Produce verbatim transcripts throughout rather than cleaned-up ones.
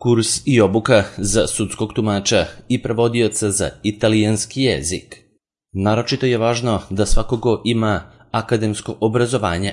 Kurs i obuka za sudskog tumača i prevodioca za italijanski jezik. Naročito je važno da svakogo ima akademsko obrazovanje,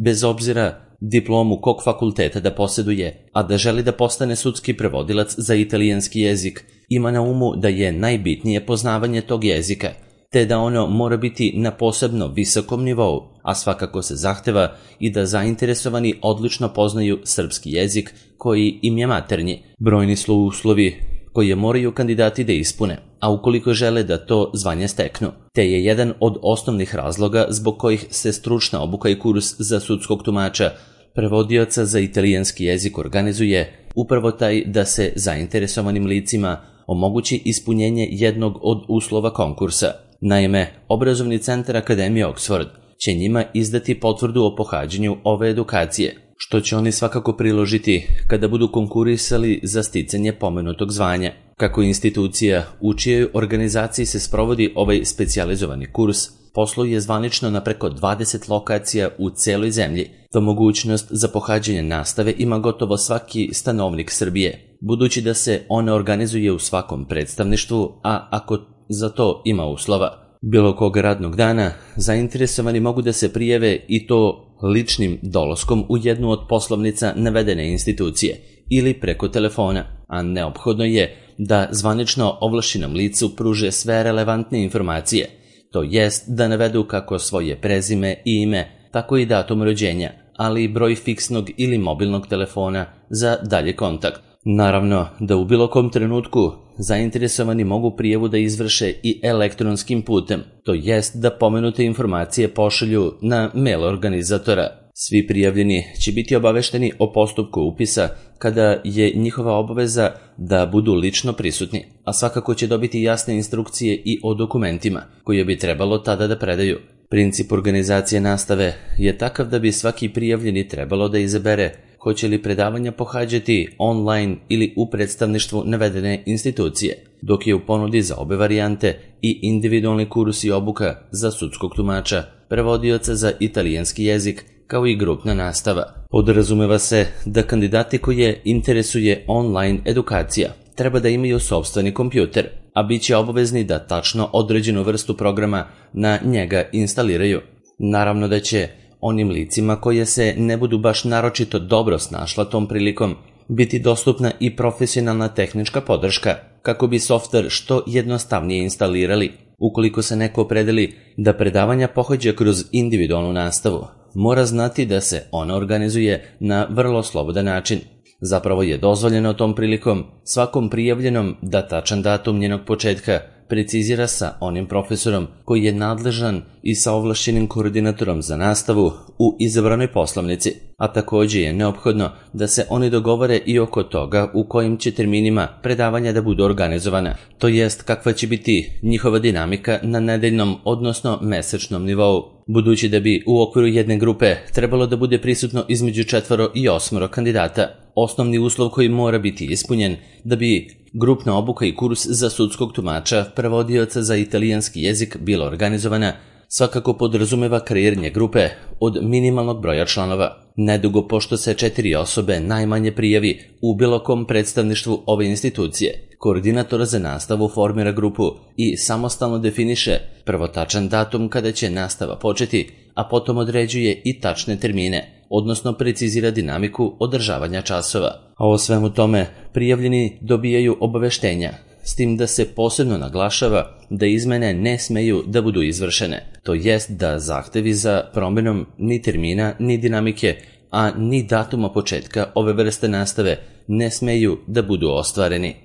bez obzira diplomu kog fakulteta da posjeduje, a da želi da postane sudski prevodilac za italijanski jezik, ima na umu da je najbitnije poznavanje tog jezika, te da ono mora biti na posebno visokom nivou, a svakako se zahteva i da zainteresovani odlično poznaju srpski jezik koji im je maternji. Brojni su uslovi koje moraju kandidati da ispune, a ukoliko žele da to zvanje steknu, te je jedan od osnovnih razloga zbog kojih se stručna obuka i kurs za sudskog tumača prevodioca za italijanski jezik organizuje upravo taj da se zainteresovanim licima omogući ispunjenje jednog od uslova konkursa. Naime, obrazovni centar Akademije Oxford će njima izdati potvrdu o pohađanju ove edukacije, što će oni svakako priložiti kada budu konkurisali za sticanje pomenutog zvanja. Kako institucija u čijoj organizaciji se sprovodi ovaj specijalizovani kurs posluje zvanično na preko dvadeset lokacija u celoj zemlji, to mogućnost za pohađanje nastave ima gotovo svaki stanovnik Srbije, budući da se ona organizuje u svakom predstavništvu, a ako za to ima uslova. Bilo kog radnog dana zainteresovani mogu da se prijave i to ličnim dolaskom u jednu od poslovnica navedene institucije ili preko telefona, a neophodno je da zvanično ovlašćenom licu pruže sve relevantne informacije, to jest da navedu kako svoje prezime i ime, tako i datum rođenja, ali i broj fiksnog ili mobilnog telefona za dalje kontakt. Naravno da u bilo kom trenutku zainteresovani mogu prijavu da izvrše i elektronskim putem, to jest da pomenute informacije pošalju na mail organizatora. Svi prijavljeni će biti obavešteni o postupku upisa kada je njihova obaveza da budu lično prisutni, a svakako će dobiti jasne instrukcije i o dokumentima koje bi trebalo tada da predaju. Princip organizacije nastave je takav da bi svaki prijavljeni trebalo da izabere hoće li predavanja pohađati online ili u predstavništvu navedene institucije, dok je u ponudi za obe varijante i individualni kurs i obuka za sudskog tumača, prevodioca za italijanski jezik, kao i grupna nastava. Podrazumeva se da kandidati koje interesuje online edukacija treba da imaju sopstveni kompjuter, a bit će obavezni da tačno određenu vrstu programa na njega instaliraju. Naravno da će onim licima koje se ne budu baš naročito dobro snašla tom prilikom biti dostupna i profesionalna tehnička podrška kako bi softver što jednostavnije instalirali. Ukoliko se neko opredeli da predavanja pohađa kroz individualnu nastavu, mora znati da se ona organizuje na vrlo slobodan način. Zapravo je dozvoljeno tom prilikom svakom prijavljenom da tačan datum njenog početka precizira sa onim profesorom koji je nadležan i sa ovlašćenim koordinatorom za nastavu u izabranoj poslovnici, a također je neophodno da se oni dogovore i oko toga u kojim će terminima predavanja da budu organizovana, to jest kakva će biti njihova dinamika na nedeljnom odnosno mesečnom nivou, budući da bi u okviru jedne grupe trebalo da bude prisutno između četvoro i osmoro kandidata. Osnovni uslov koji mora biti ispunjen da bi grupna obuka i kurs za sudskog tumača prevodioca za italijanski jezik bila organizovana svakako podrazumeva kreiranje grupe od minimalnog broja članova. Nedugo pošto se četiri osobe najmanje prijavi u bilo kom predstavništvu ove institucije, koordinator za nastavu formira grupu i samostalno definiše prvo tačan datum kada će nastava početi, a potom određuje i tačne termine, odnosno precizira dinamiku održavanja časova. A o svemu tome prijavljeni dobijaju obaveštenja, s tim da se posebno naglašava da izmene ne smeju da budu izvršene, to jest da zahtevi za promjenom ni termina ni dinamike, a ni datuma početka ove vrste nastave ne smeju da budu ostvareni.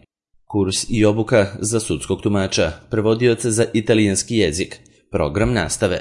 Kurs i obuka za sudskog tumača, prevodioca za italijanski jezik, program nastave.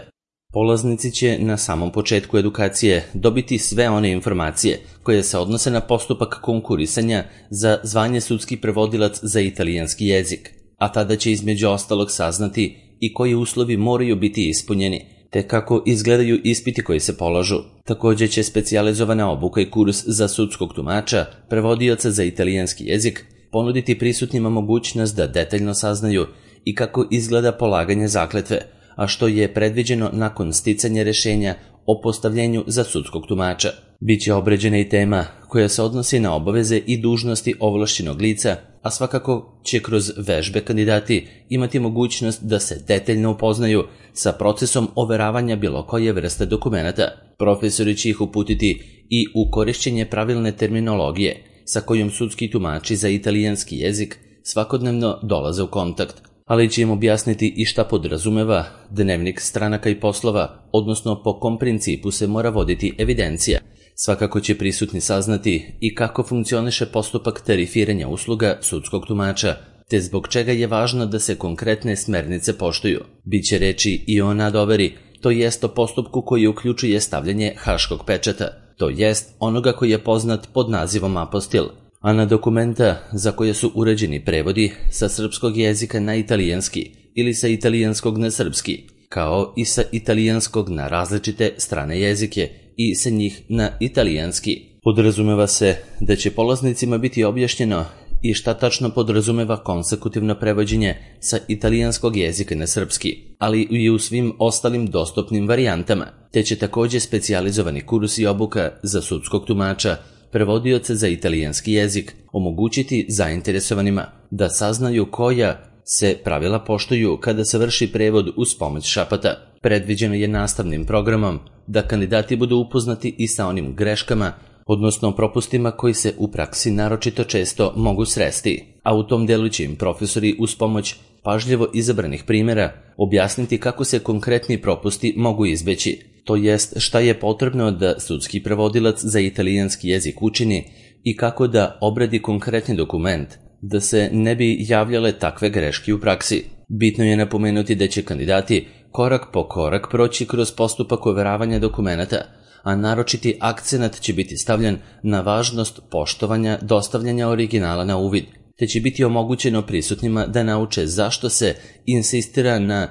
Polaznici će na samom početku edukacije dobiti sve one informacije koje se odnose na postupak konkurisanja za zvanje sudski prevodilac za italijanski jezik, a tada će između ostalog saznati i koji uslovi moraju biti ispunjeni, te kako izgledaju ispiti koji se polažu. Također će specijalizovana obuka i kurs za sudskog tumača, prevodioca za italijanski jezik, ponuditi prisutnima mogućnost da detaljno saznaju i kako izgleda polaganje zakletve, a što je predviđeno nakon sticanja rešenja o postavljenju za sudskog tumača. Biće obrađena i tema koja se odnosi na obaveze i dužnosti ovlašćenog lica, a svakako će kroz vežbe kandidati imati mogućnost da se detaljno upoznaju sa procesom overavanja bilo koje vrste dokumenata. Profesori će ih uputiti i u korišćenje pravilne terminologije sa kojom sudski tumači za italijanski jezik svakodnevno dolaze u kontakt, ali će im objasniti i šta podrazumeva dnevnik stranaka i poslova, odnosno po kom principu se mora voditi evidencija. Svakako će prisutni saznati i kako funkcioniše postupak tarifiranja usluga sudskog tumača, te zbog čega je važno da se konkretne smernice poštuju. Biće reči i o nadoveri, to jest o postupku koji uključuje stavljanje haškog pečata, to jest onoga koji je poznat pod nazivom apostil, a na dokumenta za koje su uređeni prevodi sa srpskog jezika na italijanski ili sa italijanskog na srpski, kao i sa italijanskog na različite strane jezike i sa njih na italijanski. Podrazumeva se da će polaznicima biti objašnjeno i šta tačno podrazumeva konsekutivno prevođenje sa italijanskog jezika na srpski, ali i u svim ostalim dostupnim varijantama, te će također specijalizovani kurs i obuka za sudskog tumača, prevodioce za italijanski jezik, omogućiti zainteresovanima da saznaju koja se pravila poštuju kada se vrši prevod uz pomoć šapata. Predviđeno je nastavnim programom da kandidati budu upoznati i sa onim greškama, odnosno propustima koji se u praksi naročito često mogu sresti, a u tom delu će im profesori uz pomoć pažljivo izabranih primjera objasniti kako se konkretni propusti mogu izbeći, to jest šta je potrebno da sudski prevodilac za italijanski jezik učini i kako da obradi konkretni dokument, da se ne bi javljale takve greške u praksi. Bitno je napomenuti da će kandidati korak po korak proći kroz postupak overavanja dokumenata, a naročiti akcenat će biti stavljen na važnost poštovanja dostavljanja originala na uvid, te će biti omogućeno prisutnima da nauče zašto se insistira na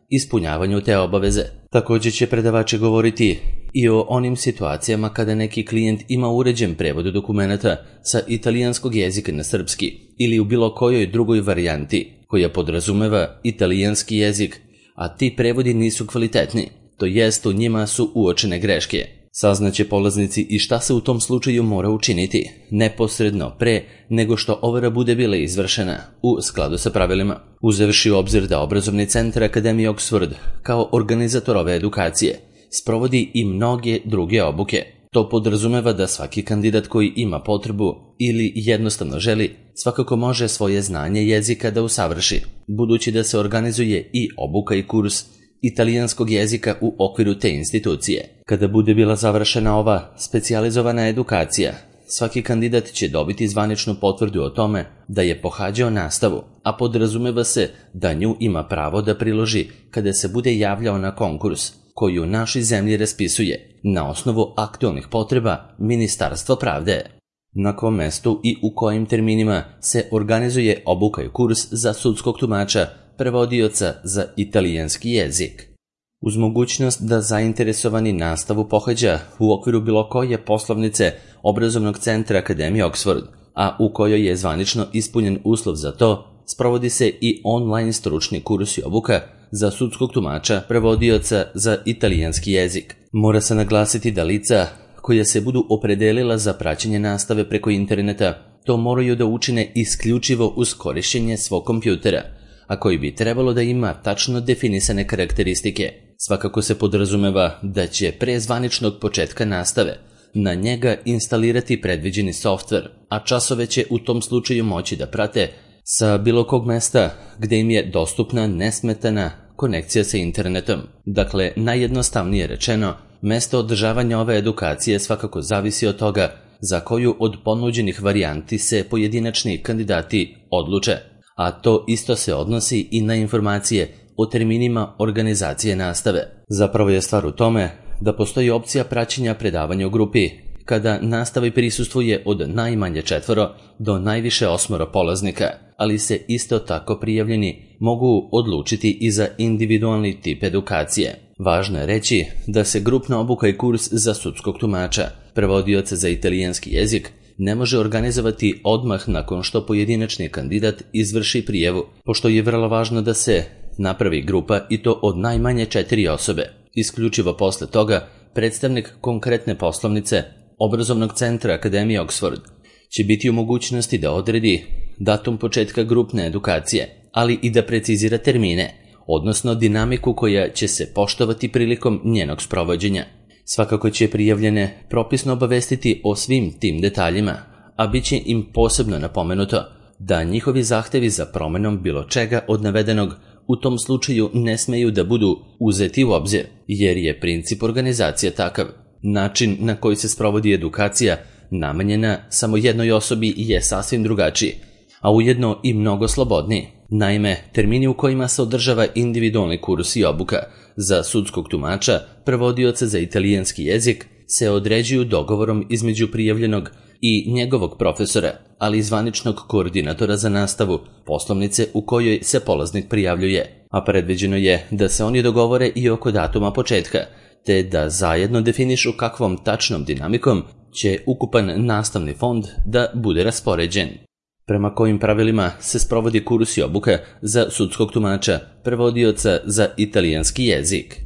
ispunjavanju te obaveze. Također će predavači govoriti i o onim situacijama kada neki klijent ima uređen prevod dokumenata sa italijanskog jezika na srpski ili u bilo kojoj drugoj varijanti koja podrazumeva italijanski jezik, a ti prevodi nisu kvalitetni, to jest u njima su uočene greške. Saznaće polaznici i šta se u tom slučaju mora učiniti, neposredno pre nego što overa bude bila izvršena, u skladu sa pravilima. Uzevši u obzir da obrazovni centar Akademije Oxford, kao organizator ove edukacije, sprovodi i mnoge druge obuke. To podrazumeva da svaki kandidat koji ima potrebu ili jednostavno želi, svakako može svoje znanje jezika da usavrši, budući da se organizuje i obuka i kurs italijanskog jezika u okviru te institucije. Kada bude bila završena ova specijalizovana edukacija, svaki kandidat će dobiti zvaničnu potvrdu o tome da je pohađao nastavu, a podrazumeva se da nju ima pravo da priloži kada se bude javljao na konkurs koji u našoj zemlji raspisuje na osnovu aktualnih potreba Ministarstva pravde. Na kom mestu i u kojim terminima se organizuje obuka i kurs za sudskog tumača, prevodioca za italijanski jezik. Uz mogućnost da zainteresovani nastavu pohađa u okviru bilo koje poslovnice obrazovnog centra Akademije Oxford, a u kojoj je zvanično ispunjen uslov za to, sprovodi se i online stručni kurs i obuka za sudskog tumača, prevodioca za italijanski jezik. Mora se naglasiti da lica koja se budu opredelila za praćenje nastave preko interneta to moraju da učine isključivo uz korišćenje svog kompjutera, a koji bi trebalo da ima tačno definisane karakteristike. Svakako se podrazumeva da će pre zvaničnog početka nastave na njega instalirati predviđeni softver, a časove će u tom slučaju moći da prate sa bilo kog mesta gde im je dostupna nesmetana konekcija sa internetom. Dakle, najjednostavnije rečeno, mesto održavanja ove edukacije svakako zavisi od toga za koju od ponuđenih varijanti se pojedinačni kandidati odluče, a to isto se odnosi i na informacije o terminima organizacije nastave. Zapravo je stvar u tome da postoji opcija praćenja predavanja u grupi, kada nastavi prisustvuje od najmanje četvoro do najviše osmoro polaznika, ali se isto tako prijavljeni mogu odlučiti i za individualni tip edukacije. Važno je reći da se grupna obuka i kurs za sudskog tumača, prevodioca za italijanski jezik, ne može organizovati odmah nakon što pojedinačni kandidat izvrši prijavu, pošto je vrlo važno da se napravi grupa i to od najmanje četiri osobe. Isključivo posle toga predstavnik konkretne poslovnice obrazovnog centra Akademije Oxford će biti u mogućnosti da odredi datum početka grupne edukacije, ali i da precizira termine, odnosno dinamiku koja će se poštovati prilikom njenog sprovođenja. Svakako će prijavljene propisno obavestiti o svim tim detaljima, a bit će im posebno napomenuto da njihovi zahtevi za promenom bilo čega od navedenog u tom slučaju ne smeju da budu uzeti u obzir, jer je princip organizacije takav. Način na koji se sprovodi edukacija namenjena samo jednoj osobi je sasvim drugačiji, a ujedno i mnogo slobodniji. Naime, termini u kojima se održava individualni kurs i obuka za sudskog tumača, prevodioca za italijanski jezik, se određuju dogovorom između prijavljenog i njegovog profesora, ali i zvaničnog koordinatora za nastavu poslovnice u kojoj se polaznik prijavljuje, a predviđeno je da se oni dogovore i oko datuma početka, te da zajedno definišu kakvom tačnom dinamikom će ukupan nastavni fond da bude raspoređen. Prema kojim pravilima se sprovodi kurs i obuka za sudskog tumača, prevodioca za italijanski jezik.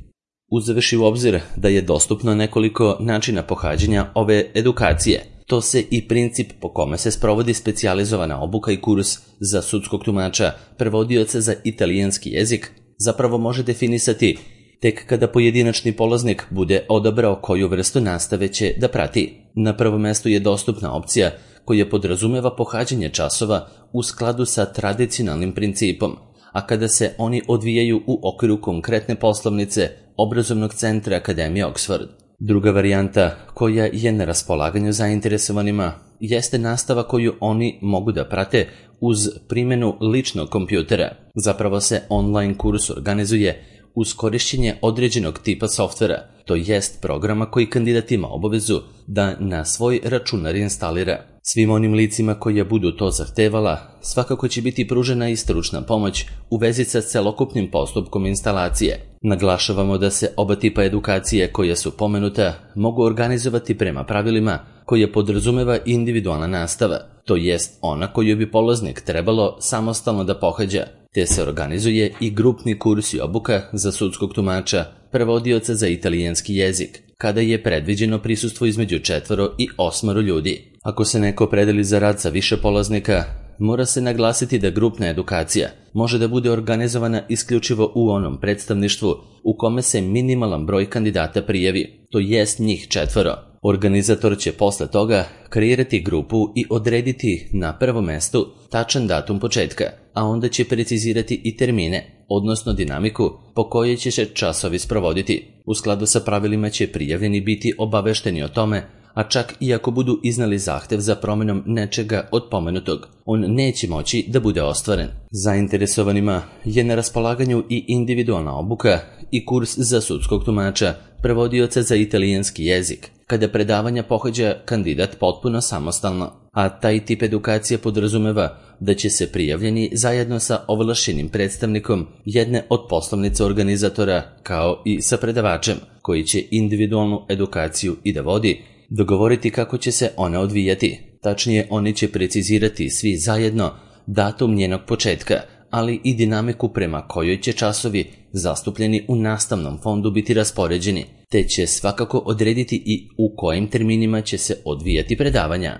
Uzevši u obzir da je dostupno nekoliko načina pohađanja ove edukacije, to se i princip po kome se sprovodi specijalizovana obuka i kurs za sudskog tumača, prevodioca za italijanski jezik, zapravo može definisati tek kada pojedinačni polaznik bude odabrao koju vrstu nastave će da prati. Na prvom mestu je dostupna opcija koja podrazumeva pohađanje časova u skladu sa tradicionalnim principom, a kada se oni odvijaju u okviru konkretne poslovnice obrazovnog centra Akademije Oxford. Druga varijanta koja je na raspolaganju zainteresovanima jeste nastava koju oni mogu da prate uz primjenu ličnog kompjutera. Zapravo se online kurs organizuje uz korišćenje određenog tipa softvera, to jest programa koji kandidat ima obavezu da na svoj računar instalira. Svim onim licima koja budu to zahtevala, svakako će biti pružena i stručna pomoć u vezi sa celokupnim postupkom instalacije. Naglašavamo da se oba tipa edukacije koja su pomenuta mogu organizovati prema pravilima koje podrazumeva individualna nastava, to jest ona koju bi polaznik trebalo samostalno da pohađa, te se organizuje i grupni kurs i obuka za sudskog tumača, prevodioca za italijanski jezik, kada je predviđeno prisustvo između četvoro i osmoro ljudi. Ako se neko opredeli za rad sa više polaznika, mora se naglasiti da grupna edukacija može da bude organizovana isključivo u onom predstavništvu u kome se minimalan broj kandidata prijavi, to jest njih četvoro. Organizator će posle toga kreirati grupu i odrediti na prvom mestu tačan datum početka, a onda će precizirati i termine, odnosno dinamiku po kojoj će se časovi sprovoditi. U skladu sa pravilima će prijavljeni biti obavešteni o tome, a čak i ako budu iznali zahtev za promjenom nečega od pomenutog, on neće moći da bude ostvaren. Zainteresovanima je na raspolaganju i individualna obuka i kurs za sudskog tumača, prevodioca za italijanski jezik, kada predavanja pohađa kandidat potpuno samostalno, a taj tip edukacije podrazumeva da će se prijavljeni zajedno sa ovlašćenim predstavnikom jedne od poslovnica organizatora kao i sa predavačem, koji će individualnu edukaciju i da vodi, dogovoriti kako će se ona odvijati. Tačnije, oni će precizirati svi zajedno datum njenog početka, ali i dinamiku prema kojoj će časovi zastupljeni u nastavnom fondu biti raspoređeni, te će svakako odrediti i u kojim terminima će se odvijati predavanja.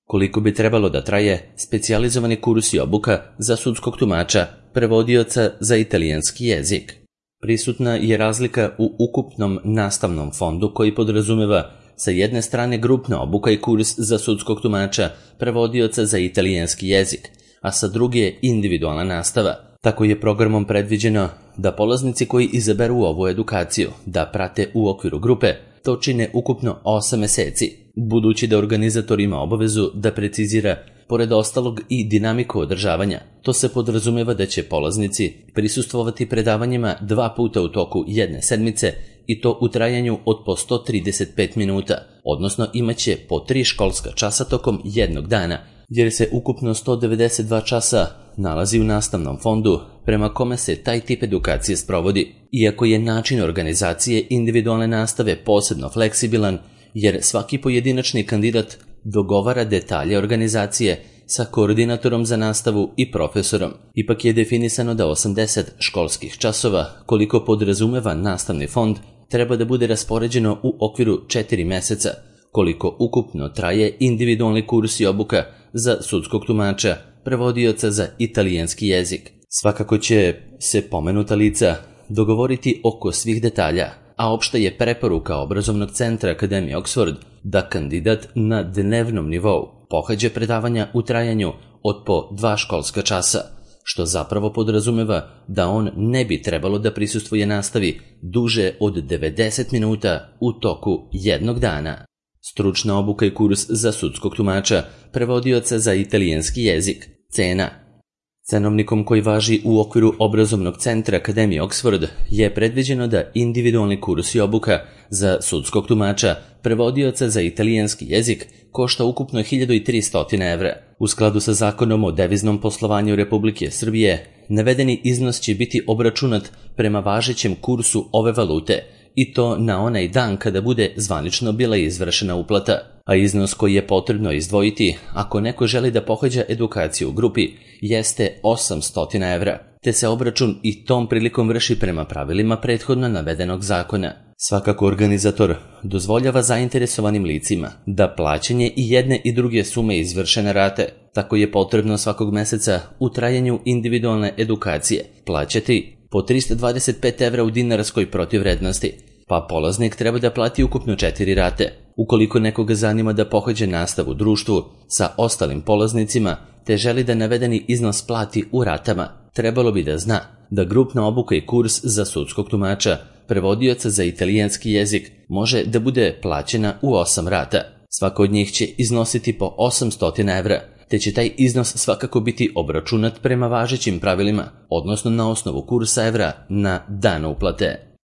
Koliko bi trebalo da traje specijalizovani kurs i obuka za sudskog tumača, prevodioca za italijanski jezik? Prisutna je razlika u ukupnom nastavnom fondu koji podrazumeva sa jedne strane grupna obuka i kurs za sudskog tumača, prevodioca za italijanski jezik, a sa druge individualna nastava. Tako je programom predviđeno da polaznici koji izaberu ovu edukaciju da prate u okviru grupe to čine ukupno osam meseci, budući da organizator ima obavezu da precizira pored ostalog i dinamiku održavanja. To se podrazumeva da će polaznici prisustvovati predavanjima dva puta u toku jedne sedmice i to u trajanju od po sto trideset pet minuta, odnosno imaće po tri školska časa tokom jednog dana, jer se ukupno sto devedeset dva časa nalazi u nastavnom fondu prema kome se taj tip edukacije sprovodi. Iako je način organizacije individualne nastave posebno fleksibilan, jer svaki pojedinačni kandidat dogovara detalje organizacije sa koordinatorom za nastavu i profesorom. Ipak je definisano da osamdeset školskih časova, koliko podrazumeva nastavni fond, treba da bude raspoređeno u okviru četiri meseca, koliko ukupno traje individualni kurs i obuka za sudskog tumača, prevodioca za italijanski jezik. Svakako će se pomenuta lica dogovoriti oko svih detalja, a opšta je preporuka obrazovnog centra Akademije Oxford da kandidat na dnevnom nivou pohađa predavanja u trajanju od po dva školska časa, što zapravo podrazumeva da on ne bi trebalo da prisustvuje nastavi duže od devedeset minuta u toku jednog dana. Stručna obuka i kurs za sudskog tumača, prevodioca za italijanski jezik, cena. Cenovnikom koji važi u okviru obrazovnog centra Akademije Oxford je predviđeno da individualni kurs i obuka za sudskog tumača, prevodioca za italijanski jezik košta ukupno hiljadu tristo evra. U skladu sa zakonom o deviznom poslovanju Republike Srbije, navedeni iznos će biti obračunat prema važećem kursu ove valute, i to na onaj dan kada bude zvanično bila izvršena uplata, a iznos koji je potrebno izdvojiti ako neko želi da pohađa edukaciju u grupi jeste osamsto evra, te se obračun i tom prilikom vrši prema pravilima prethodno navedenog zakona. Svakako organizator dozvoljava zainteresovanim licima da plaćanje i jedne i druge sume izvršene rate, tako je potrebno svakog meseca u trajanju individualne edukacije plaćati po trista dvadeset pet evra u dinarskoj protivvrednosti, pa polaznik treba da plati ukupno četiri rate. Ukoliko nekoga zanima da pohađa nastavu u društvu sa ostalim polaznicima te želi da navedeni iznos plati u ratama, trebalo bi da zna da grupna obuka i kurs za sudskog tumača, prevodioca za italijanski jezik može da bude plaćena u osam rata. Svaka od njih će iznositi po osamsto evra, te će taj iznos svakako biti obračunat prema važećim pravilima, odnosno na osnovu kursa evra na dan uplate.